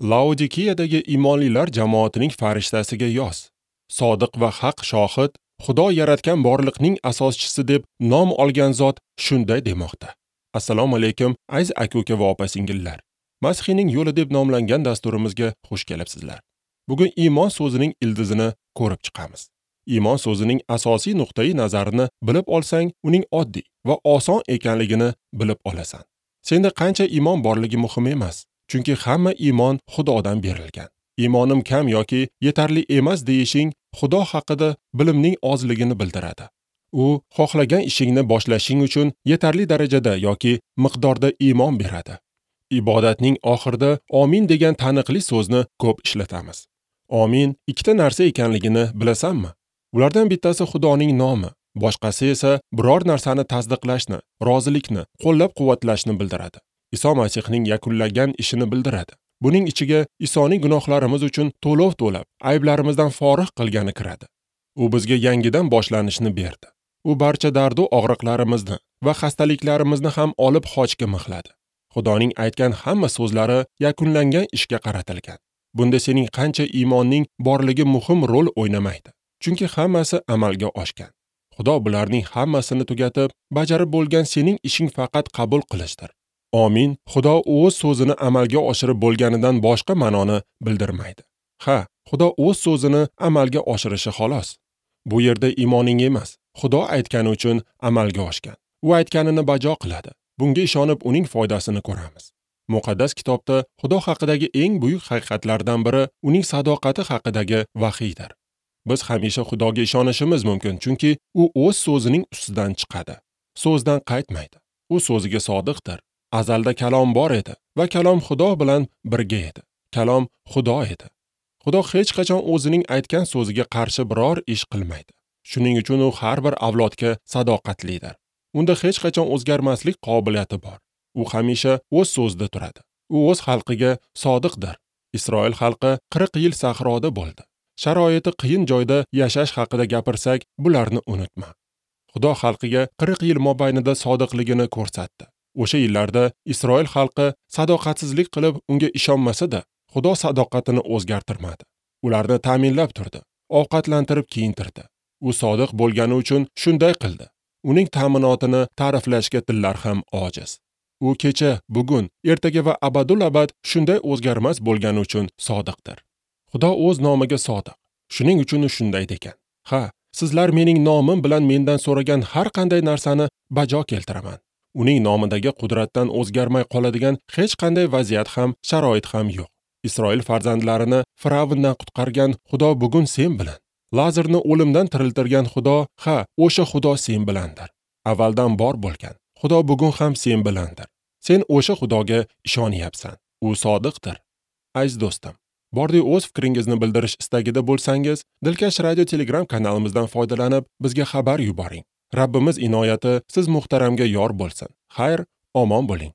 Laodikiyadagi iymonlilar jamoatining farishtasiga yoz. Sodiq va haq shohid, Xudo yaratgan borliqning asoschisi deb nom olgan zot shunday demoqda. Assalomu alaykum, aziz aka-uka va opa-singillar. Masihning yo'li deb nomlangan dasturimizga xush kelibsizlar. Bugun iymon so'zining ildizini ko'rib chiqamiz. Iymon so'zining asosiy nuqtai nazarini bilib olsang, uning oddiy va oson ekanligini bilib olasan. Senda qancha iymon borligi muhim emas, chunki hamma iymon Xudodan berilgan. Iymonim kam yoki yetarli emas deyishing Xudo haqida bilimning ozligini bildiradi. U xohlagan ishingni boshlashing uchun yetarli darajada yoki miqdorda iymon beradi. Ibodatning oxirida amin degan taniqli so'zni ko'p ishlatamiz. Amin ikkita narsa ekanligini bilasanmi? Ulardan bittasi Xudoning nomi, boshqasi esa biror narsani tasdiqlashni, rozilikni, qo'llab-quvvatlashni bildiradi. Iso Masihning yakunlagan ishini bildiradi. Buning ichiga Isoning gunohlarimiz uchun to'lov to'lab, ayblarimizdan forig' qilgani kiradi. U bizga yangidan boshlanishni berdi. U barcha dardu og'riqlarimizni va xastaliklarimizni ham olib xochga mixladi. Xudoning aytgan hamma so'zlari yakunlangan ishga qaratilgan. Bunda sening qancha iymonning borligi muhim rol o'ynamaydi. Chunki hammasi amalga oshgan. Xudo bularning hammasini tugatib, bajarib bo'lgan sening ishing faqat qabul qilishdir. Amin, Xudo o'z so'zini amalga oshirib bo'lganidan boshqa ma'noni bildirmaydi. Ha, Xudo o'z so'zini amalga oshirishi xolos. Bu yerda iymoning emas, Xudo aytgani uchun amalga oshgan. U aytganini bajo qiladi. Bunga ishonib uning foydasini ko'ramiz. Muqaddas kitobda Xudo haqidagi eng buyuk haqiqatlardan biri uning sadoqati haqidagi vahiydir. Biz hamisha Xudoga ishonishimiz mumkin, chunki u o'z so'zining ustidan chiqadi. So'zdan qaytmaydi. U so'ziga sodiqdir. Azalda kalom bor edi va kalom Xudo bilan birga edi. Kalom Xudo edi. Xudo hech qachon o'zining aytgan so'ziga qarshi biror ish qilmaydi. Shuning uchun u har bir avlodga sadoqatlidir. Unda hech qachon o'zgarmaslik qobiliyati bor. U hamisha o'z so'zida turadi. U o'z xalqiga sodiqdir. Isroil xalqi 40 yil sahroda bo'ldi. Sharoiti qiyin joyda yashash haqida gapirsak, bularni unutma. Xudo xalqiga 40 yil mobaynida sodiqligini ko'rsatdi. O'sha yillarda Isroil xalqi sadoqatsizlik qilib unga ishonmasa-da, Xudo sadoqatini o'zgartirmadi. Ularni ta'minlab turdi, ovqatlantirib kiyintirdi. U sodiq bo'lgani uchun shunday qildi. Uning ta'minotini ta'riflashga tillar ham ojiz. U kecha, bugun, ertaga va abadul abad shunday o'zgarmas bo'lgani uchun sodiqdir. Xudo o'z nomiga sodiq. Shuning uchun u shunday degan. Ha, sizlar mening nomim bilan mendan so'ragan har qanday narsani bajo keltiraman. Uning nomidagi qudratdan o'zgarmay qoladigan hech qanday vaziyat ham, sharoit ham yo'q. Isroil farzandlarini Firavndan qutqargan Xudo bugun sen bilan. Lazarni o'limdan tiriltirgan Xudo, ha, o'sha Xudo sen bilandir. Avvaldan bor bo'lgan Xudo bugun ham sen bilandir. Sen o'sha Xudoga ishonyapsan. U sodiqdir. Aziz do'stim, bordi o'z fikringizni bildirish istagida bo'lsangiz, Dilkash radio Telegram kanalimizdan foydalanib, bizga xabar yuboring. Rabbimiz inoyati siz muhtaramga yor bo'lsin. Xayr, omon bo'ling.